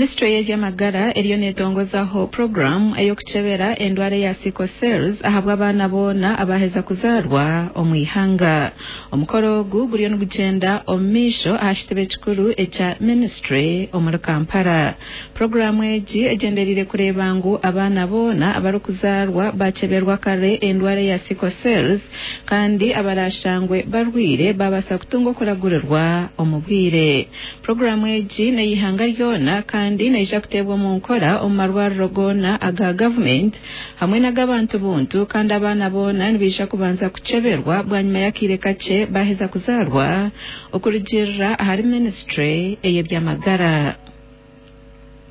Minisitule y'eby'amagara eriyo netongozaho puroguraamu ey'okukyebera endwara eya sickle cells ahabw'abaana boona abaheza kuzaarwa omu ihanga. Omukoro ogu guriyo nigugyenda omu maisho aha kitebe kikuru ekya minisitule omuri Kampala. Puroguraamu egi egyendereire kureeba ngu abaana boona abarikuzaarwa bakyeberwa kare endwara eya sickle cells kandi abarashangwe barwaire babaasa kutunga okuragurirwa omu bwire. Puroguraamu egi n'ey'eihanga ryona kandi neija kuteebwa omu nkora omu marwariro goona aga gavumenti hamwe n'ag'abantu buntu kandi abaana boona nibaija kubanza kukyeberwa bwanyima y'akaire kakye baaheza kuzaarwa okurugiirira ahari minisitule ey'eby'amagara.